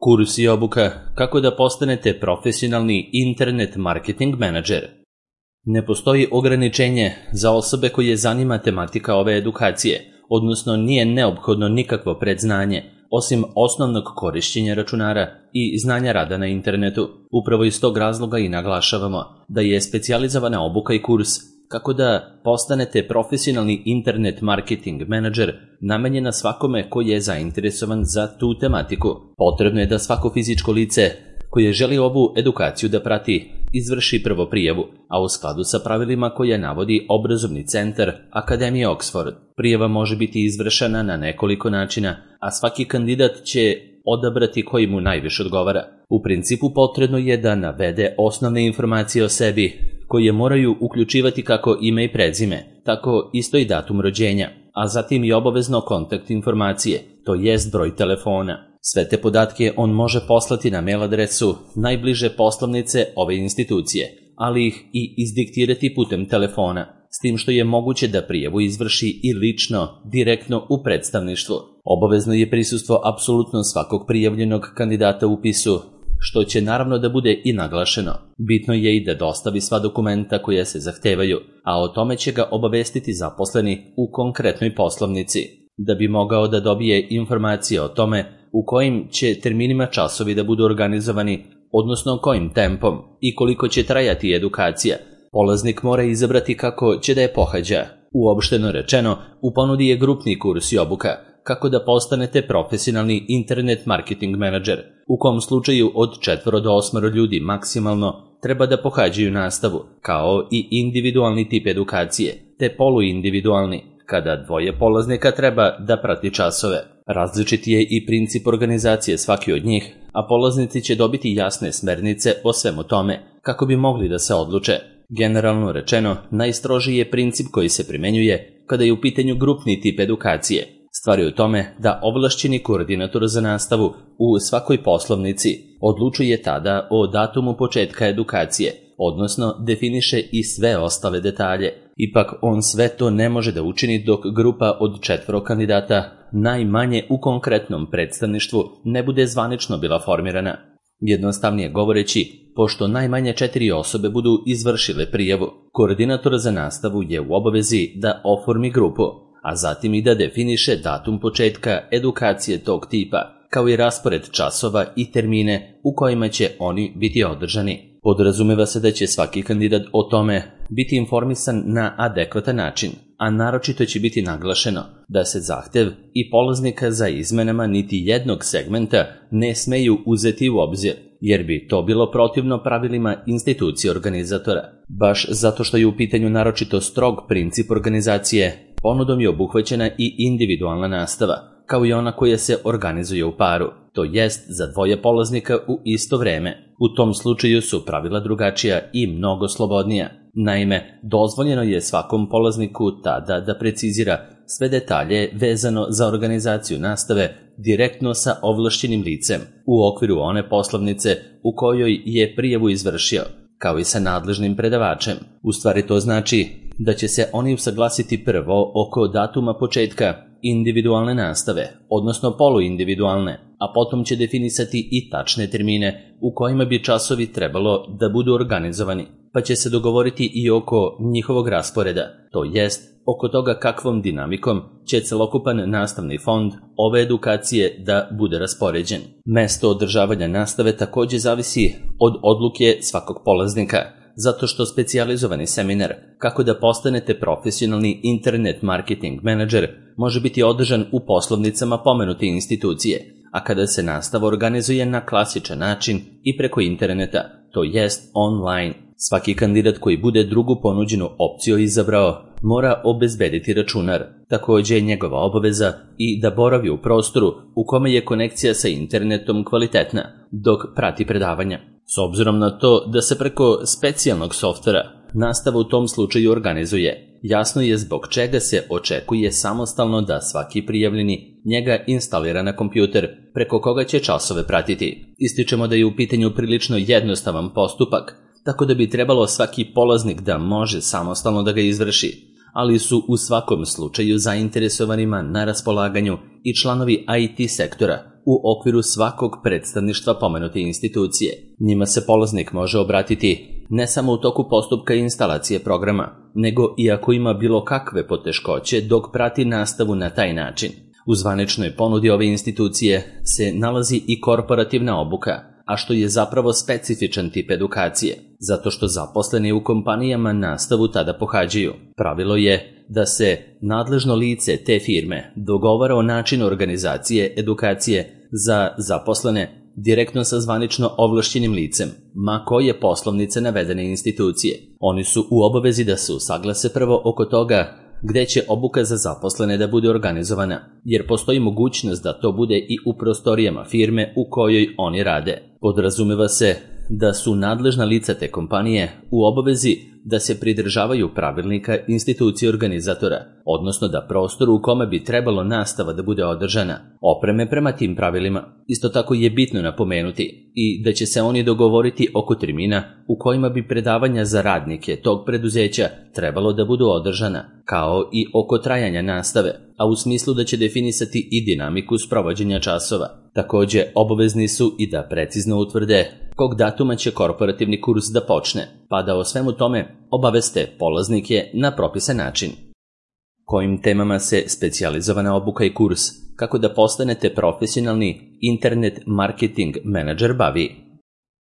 Kurs i obuka kako da postanete profesionalni internet marketing menadžer. Ne postoji ograničenje za osobe koje zanima tematika ove edukacije, odnosno nije neophodno nikakvo predznanje, osim osnovnog korišćenja računara i znanja rada na internetu. Upravo iz tog razloga i naglašavamo da je specijalizovana obuka i kurs kako da postanete profesionalni internet marketing menadžer namenjena svakome koji je zainteresovan za tu tematiku. Potrebno je da svako fizičko lice koje želi ovu edukaciju da prati izvrši prvo prijavu, a u skladu sa pravilima koje navodi obrazovni centar Akademije Oxford. Prijava može biti izvršena na nekoliko načina, a svaki kandidat će odabrati koji mu najviše odgovara. U principu potrebno je da navede osnovne informacije o sebi, koje moraju uključivati kako ime i prezime, tako isto i datum rođenja, a zatim i obavezno kontakt informacije, to jest broj telefona. Sve te podatke on može poslati na mail adresu najbliže poslovnice ove institucije, ali ih i izdiktirati putem telefona, s tim što je moguće da prijavu izvrši i lično, direktno u predstavništvu. Obavezno je prisustvo apsolutno svakog prijavljenog kandidata u upisu, što će naravno da bude i naglašeno. Bitno je i da dostavi sva dokumenta koja se zahtevaju, a o tome će ga obavestiti zaposleni u konkretnoj poslovnici. Da bi mogao da dobije informacije o tome u kojim će terminima časovi da budu organizovani, odnosno kojim tempom i koliko će trajati edukacija, polaznik mora izabrati kako će da je pohađa. Uopšteno rečeno, u ponudi je grupni kurs i obuka kako da postanete profesionalni internet marketing menadžer, u kom slučaju od 4 do 8 ljudi maksimalno treba da pohađaju nastavu, kao i individualni tip edukacije, te poluindividualni, kada 2 polaznika treba da prati časove. Različit je i princip organizacije svaki od njih, a polaznici će dobiti jasne smernice o svemu tome, kako bi mogli da se odluče. Generalno rečeno, najstrožiji je princip koji se primenjuje kada je u pitanju grupni tip edukacije. Stvar je u tome da ovlašćeni koordinator za nastavu u svakoj poslovnici odlučuje tada o datumu početka edukacije, odnosno definiše i sve ostale detalje. Ipak on sve to ne može da učini dok grupa od 4 kandidata, najmanje u konkretnom predstavništvu, ne bude zvanično bila formirana. Jednostavnije govoreći, pošto najmanje 4 osobe budu izvršile prijavu, koordinator za nastavu je u obavezi da oformi grupu, a zatim i da definiše datum početka edukacije tog tipa, kao i raspored časova i termine u kojima će oni biti održani. Podrazumeva se da će svaki kandidat o tome biti informisan na adekvatan način, a naročito će biti naglašeno da se zahtev i polaznika za izmenama niti jednog segmenta ne smeju uzeti u obzir, jer bi to bilo protivno pravilima institucije organizatora. Baš zato što je u pitanju naročito strog princip organizacije, ponudom je obuhvaćena i individualna nastava, kao i ona koja se organizuje u paru, to jest za 2 polaznika u isto vreme. U tom slučaju su pravila drugačija i mnogo slobodnija. Naime, dozvoljeno je svakom polazniku tada da precizira sve detalje vezano za organizaciju nastave direktno sa ovlašćenim licem u okviru one poslovnice u kojoj je prijavu izvršio, kao i sa nadležnim predavačem. U stvari to znači da će se oni usaglasiti prvo oko datuma početka individualne nastave, odnosno poluindividualne, a potom će definisati i tačne termine u kojima bi časovi trebalo da budu organizovani, pa će se dogovoriti i oko njihovog rasporeda, to jest oko toga kakvom dinamikom će celokupan nastavni fond ove edukacije da bude raspoređen. Mesto održavanja nastave takođe zavisi od odluke svakog polaznika, zato što specijalizovani seminar kako da postanete profesionalni internet marketing menadžer može biti održan u poslovnicama pomenute institucije, a kada se nastava organizuje na klasičan način i preko interneta, to jest online. Svaki kandidat koji bude drugu ponuđenu opciju izabrao mora obezbediti računar. Takođe je njegova obaveza i da boravi u prostoru u kome je konekcija sa internetom kvalitetna dok prati predavanja. S obzirom na to da se preko specijalnog softvera nastava u tom slučaju organizuje, jasno je zbog čega se očekuje samostalno da svaki prijavljeni njega instalira na kompjuter preko koga će časove pratiti. Ističemo da je u pitanju prilično jednostavan postupak, tako da bi trebalo svaki polaznik da može samostalno da ga izvrši, ali su u svakom slučaju zainteresovanima na raspolaganju i članovi IT sektora u okviru svakog predstavništva pomenute institucije. Njima se polaznik može obratiti ne samo u toku postupka instalacije programa, nego i ako ima bilo kakve poteškoće dok prati nastavu na taj način. U zvaničnoj ponudi ove institucije se nalazi i korporativna obuka, a što je zapravo specifičan tip edukacije, zato što zaposleni u kompanijama nastavu tada pohađaju. Pravilo je da se nadležno lice te firme dogovara o načinu organizacije edukacije za zaposlene direktno sa zvanično ovlašćenim licem, ma koje poslovnice navedene institucije. Oni su u obavezi da se usaglase prvo oko toga gde će obuka za zaposlene da bude organizovana, jer postoji mogućnost da to bude i u prostorijama firme u kojoj oni rade. Podrazumeva se da su nadležna lica te kompanije u obavezi da se pridržavaju pravilnika institucije organizatora, odnosno da prostor u kome bi trebalo nastava da bude održana opreme prema tim pravilima. Isto tako je bitno napomenuti i da će se oni dogovoriti oko termina u kojima bi predavanja za radnike tog preduzeća trebalo da budu održana, kao i oko trajanja nastave, a u smislu da će definisati i dinamiku sprovođenja časova. Takođe, obavezni su i da precizno utvrde kog datuma će korporativni kurs da počne, pa da o svemu tome obaveste polaznike na propisan način. Kojim temama se specijalizovana obuka i kurs kako da postanete profesionalni internet marketing menadžer bavi?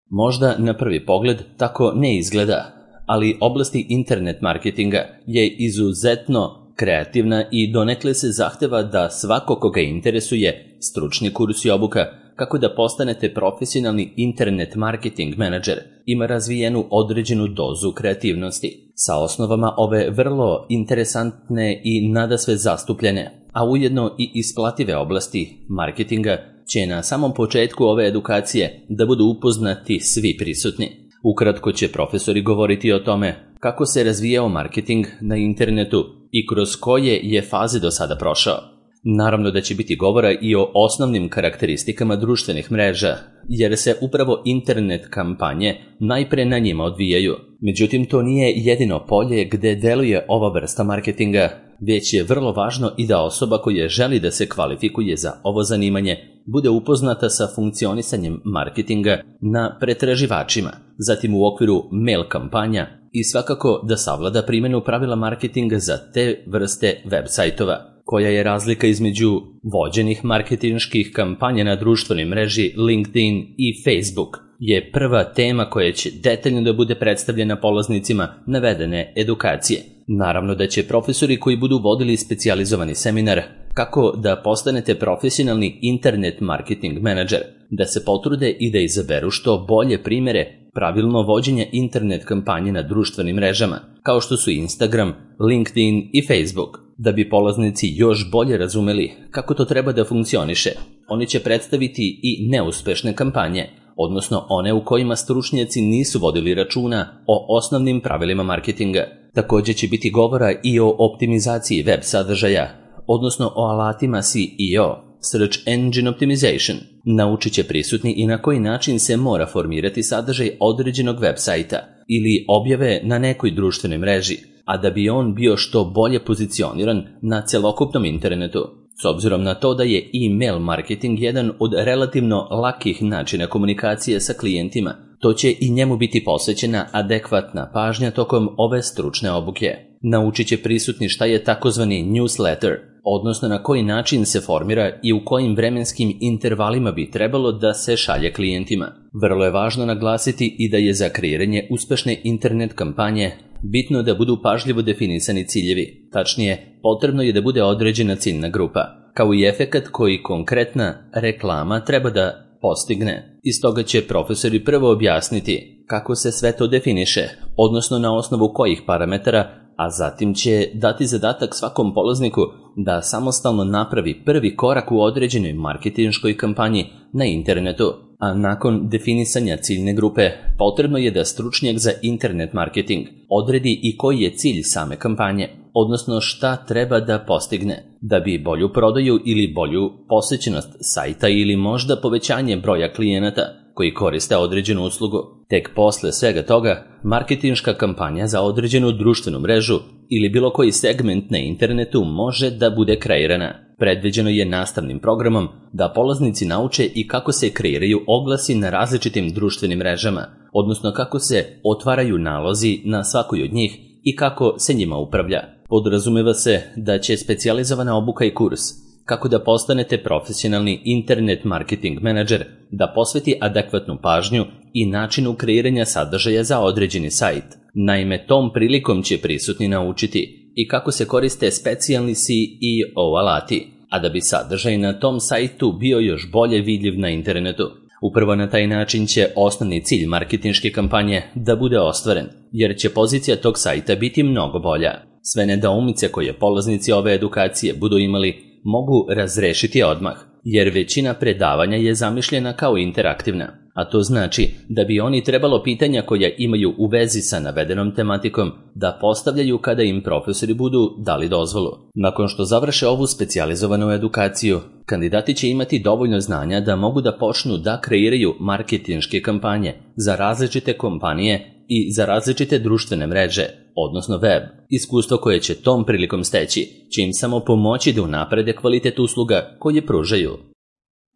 Možda na prvi pogled tako ne izgleda, ali oblasti internet marketinga je izuzetno kreativna i donekle se zahteva da svako koga interesuje stručni kurs i obuka kako da postanete profesionalni internet marketing menadžer ima razvijenu određenu dozu kreativnosti, sa osnovama ove vrlo interesantne i nadasve zastupljene, a ujedno i isplative oblasti marketinga će na samom početku ove edukacije da budu upoznati svi prisutni. Ukratko će profesori govoriti o tome kako se razvijao marketing na internetu i kroz koje je faze do sada prošao. Naravno da će biti govora i o osnovnim karakteristikama društvenih mreža, jer se upravo internet kampanje najpre na njima odvijaju. Međutim, to nije jedino polje gde deluje ova vrsta marketinga, već je vrlo važno i da osoba koja želi da se kvalifikuje za ovo zanimanje bude upoznata sa funkcionisanjem marketinga na pretraživačima, zatim u okviru mail kampanja i svakako da savlada primjenu pravila marketinga za te vrste web sajtova. Koja je razlika između vođenih marketinških kampanja na društvenoj mreži LinkedIn i Facebook je prva tema koja će detaljno da bude predstavljena polaznicima navedene edukacije. Naravno da će profesori koji budu vodili specijalizovani seminar kako da postanete profesionalni internet marketing menadžer, da se potrude i da izaberu što bolje primere pravilno vođenja internet kampanje na društvenim mrežama, kao što su Instagram, LinkedIn i Facebook. Da bi polaznici još bolje razumeli kako to treba da funkcioniše, oni će predstaviti i neuspešne kampanje, odnosno one u kojima stručnjaci nisu vodili računa o osnovnim pravilima marketinga. Također će biti govora i o optimizaciji web sadržaja, odnosno o alatima SEO, Search Engine Optimization. Naučit će prisutni i na koji način se mora formirati sadržaj određenog web sajta ili objave na nekoj društvenoj mreži, a da bi on bio što bolje pozicioniran na celokupnom internetu. S obzirom na to da je e-mail marketing jedan od relativno lakih načina komunikacije sa klijentima, to će i njemu biti posvećena adekvatna pažnja tokom ove stručne obuke. Naučit će prisutni šta je takozvani newsletter, odnosno na koji način se formira i u kojim vremenskim intervalima bi trebalo da se šalje klijentima. Vrlo je važno naglasiti i da je za kreiranje uspešne internet kampanje bitno da budu pažljivo definisani ciljevi. Tačnije, potrebno je da bude određena ciljna grupa, kao i efekat koji konkretna reklama treba da postigne. Iz toga će profesori prvo objasniti kako se sve to definiše, odnosno na osnovu kojih parametara, a zatim će dati zadatak svakom polazniku da samostalno napravi prvi korak u određenoj marketinškoj kampanji na internetu. A nakon definisanja ciljne grupe, potrebno je da stručnjak za internet marketing odredi i koji je cilj same kampanje, odnosno šta treba da postigne, da bi bolju prodaju ili bolju posećenost sajta ili možda povećanje broja klijenata koji koriste određenu uslugu. Tek posle svega toga, marketinška kampanja za određenu društvenu mrežu ili bilo koji segment na internetu može da bude kreirana. Predviđeno je nastavnim programom da polaznici nauče i kako se kreiraju oglasi na različitim društvenim mrežama, odnosno kako se otvaraju nalozi na svakoj od njih i kako se njima upravlja. Podrazumeva se da će specijalizovana obuka i kurs kako da postanete profesionalni internet marketing menadžer da posveti adekvatnu pažnju i načinu kreiranja sadržaja za određeni sajt. Naime, tom prilikom će prisutni naučiti i kako se koriste specijalni SEO alati, a da bi sadržaj na tom sajtu bio još bolje vidljiv na internetu. Upravo na taj način će osnovni cilj marketinške kampanje da bude ostvaren, jer će pozicija tog sajta biti mnogo bolja. Sve nedoumice koje polaznici ove edukacije budu imali mogu razrešiti odmah, jer većina predavanja je zamišljena kao interaktivna, a to znači da bi oni trebalo pitanja koja imaju u vezi sa navedenom tematikom da postavljaju kada im profesori budu dali dozvolu. Nakon što završe ovu specijalizovanu edukaciju, kandidati će imati dovoljno znanja da mogu da počnu da kreiraju marketinške kampanje za različite kompanije i za različite društvene mreže, odnosno web. Iskustvo koje će tom prilikom steći će im samo pomoći da unaprede kvalitet usluga koje pružaju.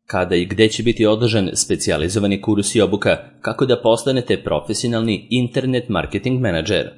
Kada i gde će biti održan specijalizovani kurs i obuka kako da postanete profesionalni internet marketing menadžer?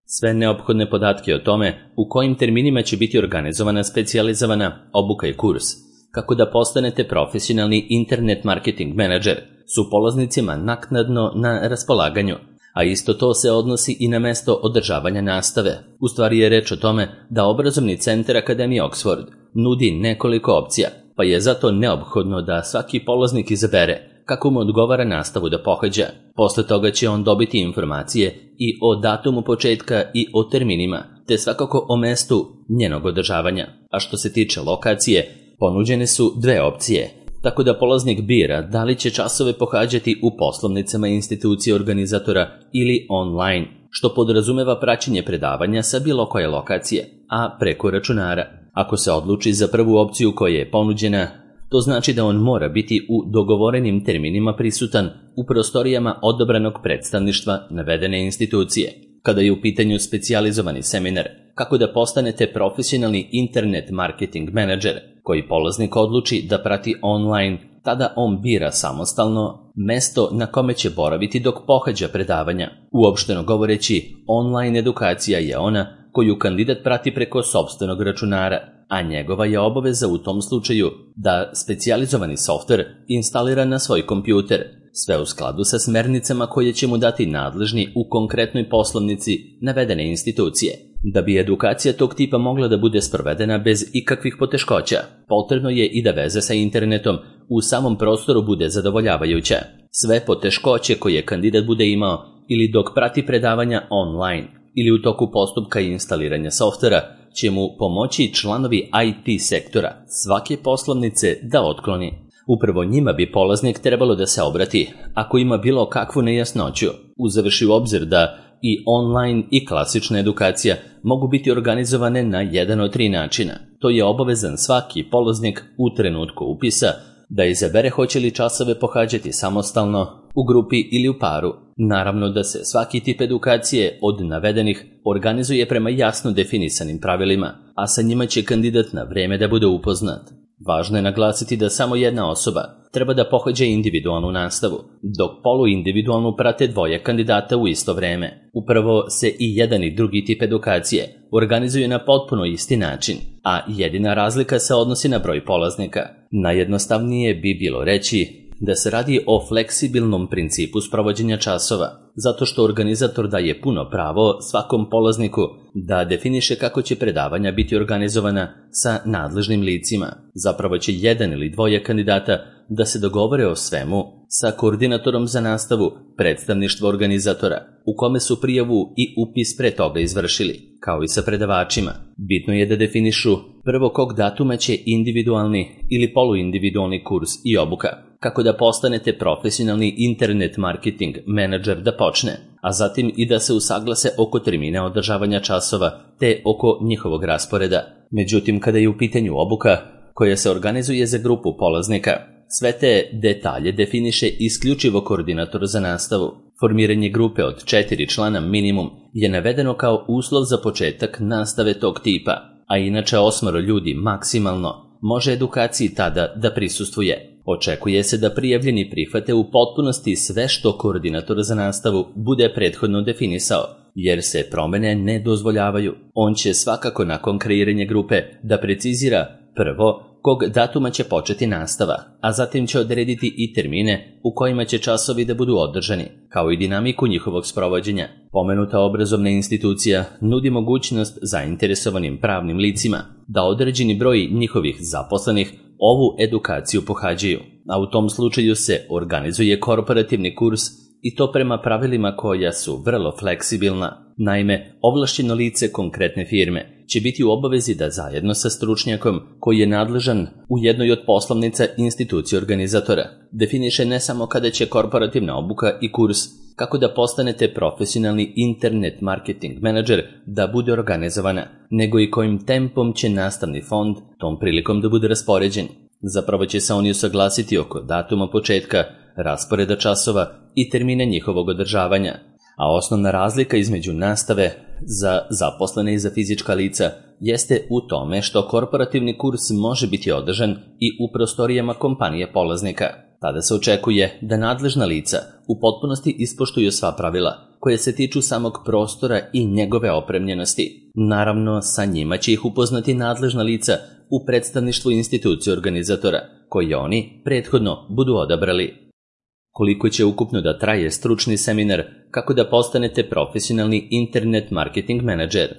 Sve neophodne podatke o tome u kojim terminima će biti organizovana specijalizovana obuka i kurs kako da postanete profesionalni internet marketing menadžer su polaznicima naknadno na raspolaganju, a isto to se odnosi i na mesto održavanja nastave. U stvari je reč o tome da obrazovni centar Akademije Oxford nudi nekoliko opcija, pa je zato neophodno da svaki polaznik izabere kako mu odgovara nastavu da pohađa. Posle toga će on dobiti informacije i o datumu početka i o terminima, te svakako o mestu njenog održavanja. A što se tiče lokacije, ponuđene su dve opcije, tako da polaznik bira da li će časove pohađati u poslovnicama institucije organizatora ili online, što podrazumeva praćenje predavanja sa bilo koje lokacije, a preko računara. Ako se odluči za prvu opciju koja je ponuđena, to znači da on mora biti u dogovorenim terminima prisutan u prostorijama odabranog predstavništva navedene institucije. Kada je u pitanju specijalizovani seminar kako da postanete profesionalni internet marketing menadžer koji polaznik odluči da prati online, tada on bira samostalno mesto na kome će boraviti dok pohađa predavanja. Uopšteno govoreći, online edukacija je ona koju kandidat prati preko sopstvenog računara, a njegova je obaveza u tom slučaju da specijalizovani softver instalira na svoj kompjuter, sve u skladu sa smernicama koje će mu dati nadležni u konkretnoj poslovnici navedene institucije. Da bi edukacija tog tipa mogla da bude sprovedena bez ikakvih poteškoća, potrebno je i da veza sa internetom u samom prostoru bude zadovoljavajuća. Sve poteškoće koje kandidat bude imao ili dok prati predavanja online ili u toku postupka instaliranja softvera će mu pomoći članovi IT sektora svake poslovnice da otkloni. Upravo njima bi polaznik trebalo da se obrati ako ima bilo kakvu nejasnoću, uzevši u obzir da i online i klasična edukacija mogu biti organizovane na jedan od 3 načina. To je obavezan svaki polaznik u trenutku upisa da izabere hoće li časove pohađati samostalno, u grupi ili u paru. Naravno da se svaki tip edukacije od navedenih organizuje prema jasno definisanim pravilima, a sa njima će kandidat na vreme da bude upoznat. Važno je naglasiti da samo jedna osoba treba da pohađa individualnu nastavu, dok poluindividualnu prate 2 kandidata u isto vreme. Upravo se i jedan i drugi tip edukacije organizuje na potpuno isti način, a jedina razlika se odnosi na broj polaznika. Najjednostavnije bi bilo reći da se radi o fleksibilnom principu sprovođenja časova, zato što organizator daje puno pravo svakom polazniku da definiše kako će predavanja biti organizovana sa nadležnim licima. Zapravo će 1 ili 2 kandidata da se dogovore o svemu sa koordinatorom za nastavu predstavništva organizatora, u kome su prijavu i upis pre toga izvršili, kao i sa predavačima. Bitno je da definišu prvo kog datuma će individualni ili poluindividualni kurs i obuka, kako da postanete profesionalni internet marketing menadžer da počne, a zatim i da se usaglase oko termina održavanja časova te oko njihovog rasporeda. Međutim, kada je u pitanju obuka koja se organizuje za grupu polaznika, sve te detalje definiše isključivo koordinator za nastavu. Formiranje grupe od 4 člana minimum je navedeno kao uslov za početak nastave tog tipa, a inače 8 ljudi maksimalno može edukaciji tada da prisustvuje. Očekuje se da prijavljeni prihvate u potpunosti sve što koordinator za nastavu bude prethodno definisao, jer se promene ne dozvoljavaju. On će svakako nakon kreiranja grupe da precizira prvo kog datuma će početi nastava, a zatim će odrediti i termine u kojima će časovi da budu održani, kao i dinamiku njihovog sprovođenja. Pomenuta obrazovna institucija nudi mogućnost zainteresovanim pravnim licima da određeni broj njihovih zaposlenih ovu edukaciju pohađaju, a u tom slučaju se organizuje korporativni kurs i to prema pravilima koja su vrlo fleksibilna. Naime, ovlašćeno lice konkretne firme će biti u obavezi da zajedno sa stručnjakom koji je nadležan u jednoj od poslovnica institucije organizatora definiše ne samo kada će korporativna obuka i kurs kako da postanete profesionalni internet marketing menadžer da bude organizovana, nego i kojim tempom će nastavni fond tom prilikom da bude raspoređen. Zapravo će se oni usaglasiti oko datuma početka, rasporeda časova i termina njihovog održavanja, a osnovna razlika između nastave za zaposlene i za fizička lica jeste u tome što korporativni kurs može biti održan i u prostorijama kompanije polaznika. Tada se očekuje da nadležna lica u potpunosti ispoštuju sva pravila koje se tiču samog prostora i njegove opremljenosti. Naravno, sa njima će ih upoznati nadležna lica u predstavništvu institucije organizatora, koje oni prethodno budu odabrali. Koliko će ukupno da traje stručni seminar kako da postanete profesionalni internet marketing menadžer?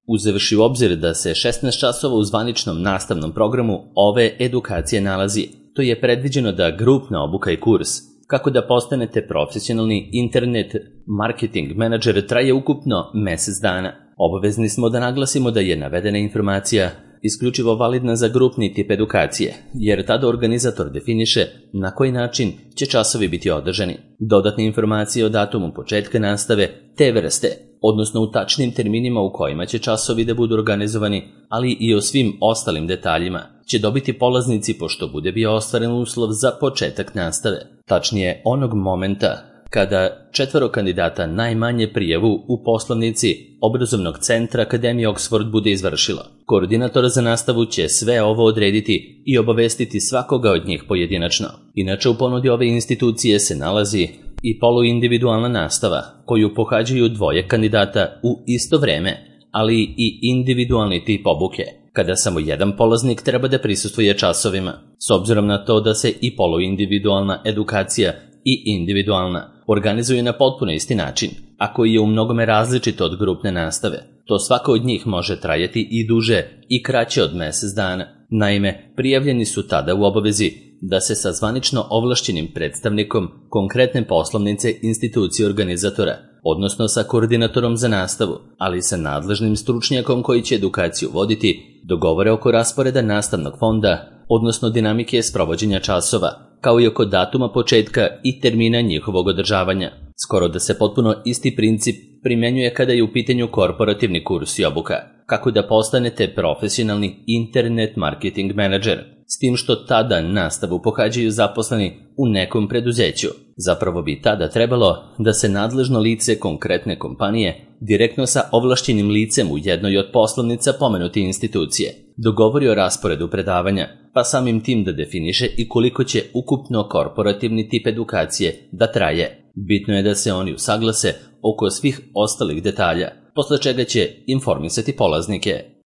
Uzevši u obzir da se 16 časova u zvaničnom nastavnom programu ove edukacije nalazi, to je predviđeno da grupna obuka i kurs kako da postanete profesionalni internet marketing menadžer traje ukupno mesec dana. Obavezni smo da naglasimo da je navedena informacija isključivo validna za grupni tip edukacije, jer tada organizator definiše na koji način će časovi biti održani. Dodatne informacije o datumu početka nastave te vrste, odnosno u tačnim terminima u kojima će časovi da budu organizovani, ali i o svim ostalim detaljima, će dobiti polaznici pošto bude bio ostvaren uslov za početak nastave. Tačnije, onog momenta kada 4 kandidata najmanje prijavu u poslovnici obrazovnog centra Akademije Oxford bude izvršilo. Koordinator za nastavu će sve ovo odrediti i obavestiti svakoga od njih pojedinačno. Inače, u ponudi ove institucije se nalazi i poluindividualna nastava, koju pohađaju 2 kandidata u isto vreme, ali i individualni tip obuke, kada samo jedan polaznik treba da prisustvuje časovima. S obzirom na to da se i poluindividualna edukacija i individualna organizuje na potpuno isti način, a koji je u mnogome različit od grupne nastave, to svaka od njih može trajati i duže i kraće od mesec dana. Naime, prijavljeni su tada u obavezi da se sa zvanično ovlašćenim predstavnikom konkretne poslovnice institucije organizatora, odnosno sa koordinatorom za nastavu, ali i sa nadležnim stručnjakom koji će edukaciju voditi, dogovore oko rasporeda nastavnog fonda, odnosno dinamike sprovođenja časova, kao i oko datuma početka i termina njihovog održavanja. Skoro da se potpuno isti princip primjenjuje kada je u pitanju korporativni kurs i obuka, kako da postanete profesionalni internet marketing menadžer, s tim što tada nastavu pohađaju zaposleni u nekom preduzeću. Zapravo bi tada trebalo da se nadležno lice konkretne kompanije direktno sa ovlašćenim licem u jednoj od poslovnica pomenute institucije dogovori o rasporedu predavanja, pa samim tim da definiše i koliko će ukupno korporativni tip edukacije da traje. Bitno je da se oni usaglase oko svih ostalih detalja, posle čega će informisati polaznike.